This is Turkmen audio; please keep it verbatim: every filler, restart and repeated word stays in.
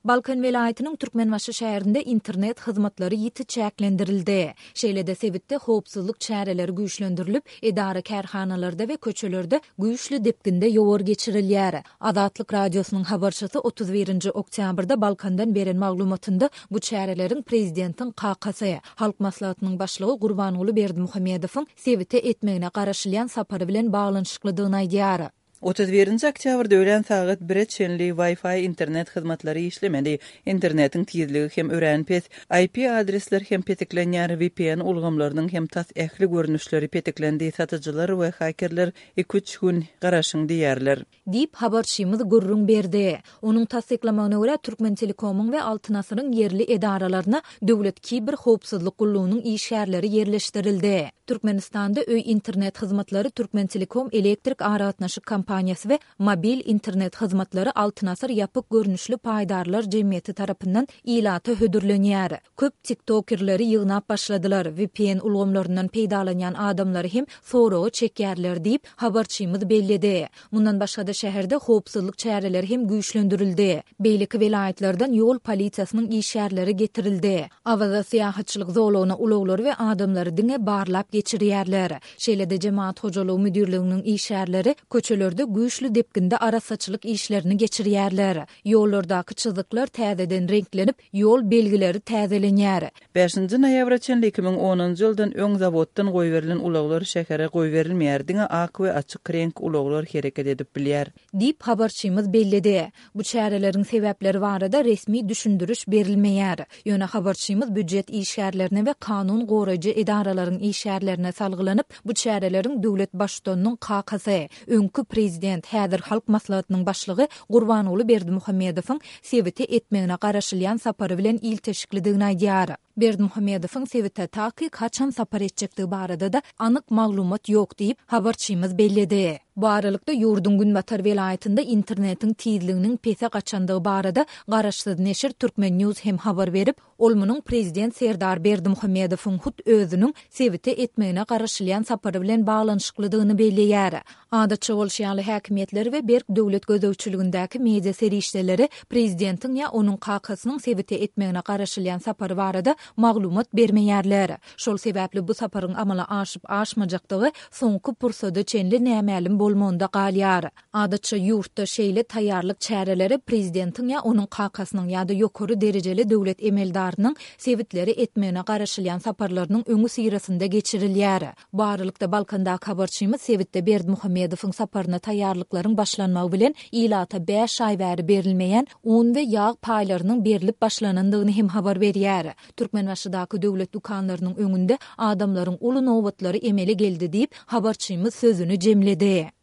Balkan welaýatynyň Türkmenbaşy şäherinde internet hyzmatlary ýiti çäklendirildi. Şeýle-de sebitde howpsuzlyk çäreleri güýçlendirilip, edara-kärhanalarda we köçelerde güýçli depginde ýowar geçirilýär. Azatlyk Radiosynyň habarçysy otuz birinji oktýabrda Balkandan beren maglumatynda bu çäreleriň prezidentiň kakasy, Halk Maslahatynyň Başlygy Gurbanguly Berdimuhamedowyň sebite etmegine garaşylýan sapary bilen baglanyşyklydygyny aýdýar. Otuz birinji oktýabrda öýlän sagat bire çenli Wi-Fi internet hyzmatlary işlemedi. Internetiň tizligi hem örän pes. I P adresler hem petiklenýär, V P N ulgamlarynyň hem tas ähli görnüşleri petiklendi, satyjylar we hakerler iki-üç gün garaşyň diýerler. Diýip, habarçymyz gürrüň berdi. Onuň tassyklamagyna görä, Türkmen Telekomyň we Altyn Asyryň ýerli edaralaryna Döwlet Kiber Howpsuzlyk Gullugynyň işgärleri ýerleşdirildi. Türkmenistanda öý internet hyzmatlary Türkmen Telekom elektrik aragatnaşyk kompaniýasy we mobil internet hyzmatlary Altyn Asyr ýapyk görnüşli paýdarlar jemgyýeti tarapyndan ilata hödürlenýär. Köp tiktokerleri ýygnap başladylar, V P N ulgamlaryndan peýdalanýan adamlary hem soragy çekýärler diýip, habarçymyz belledi. Mundan başga-da şäherde howpsuzlyk çäreleri hem güýçlendirildi. Beýleki welaýatlardan ýol polisiýasynyň işgärleri getirildi. Awaza syýahatçylyk zolagyna ulaglary we adamlary diňe barlap geçirýärler. Şeýle-de Jemaat hojalygy müdirliginiň işgärleri köçelerde güýçli depginde arassaçylyk işlerini geçirýärler. Ýollardaky çyzyklar täzeden reňklenip, ýol belgileri täzelenýär. Bäşinji noýabra çenli iki müň onunjy ýyldan öň zawoddan goýberilen ulaglar şähere goýberilmeýär, diňe ak we açyk reňk ulaglar hereket edip bilýär. Diýip habarçymyz belledi. Bu çäreleriň sebäpleri barada resmi düşündiriş berilmeýär. Ýöne habarçymyz býujet işgärlerine we kanun goraýjy edaralaryň işgärlerine salgylanyp, bu çäreleriň döwlet baştutanynyň kakasy, öňki prezident, häzir Halk Maslahatynyň başlygy Gurbanguly Berdimuhamedowyň sebite etmegine garaşylýan sapary bilen ilteşiklidigini aýdýar. Berdimuhamedowyň sebite takyk haçan sapar etjekdigi barada da anyk maglumat ýok diýip habarçymyz belledi. Bu aralykda ýurduň Günbatar welaýatynda internetiň tizliginiň pese gaçandygy barada garaşsyz neşir Türkmen News hem habar berip, ol munuň prezident Serdar Berdimuhamedowyň hut özüniň sebite etmegine garaşylýan sapary bilen baglanyşyklydygyny belleýär. Adatça bolşy ýaly häkimiýetler we berk döwlet gözegçiligindäki media serişdeleri prezidentiň ýa onuň kakasynyň sebite etmegine garaşylýan sapary barada maglumat bermeýärler. Şol sebäpli bu saparyň amala aşyp aşmajakdygy soňky pursada çenli nämälim bolmagynda galýar. Adatça ýurtda şeýle taýýarlyk çäreleri prezidentiň ýa onuň kakasynyň ýa-da ýokary derejeli döwlet emeldarynyň sebitleri etmegine garaşylýan saparlarynyň öňi syrasynda geçirilýär. Bu aralykda Balkandaky habarçymyz sebitde Berdimuhamedowyň saparyna taýýarlyklaryň başlanmagy bilen ilata bäş aý bäri berilmeýän un we ýag paýlarynyň berilip başlanandygyny hem habar berýär. Türkmenbaşydaky döwlet dükanlarynyň öňünde adamlaryň uly nobatlary emele geldi diýip habarçymyz sözüni jemledi.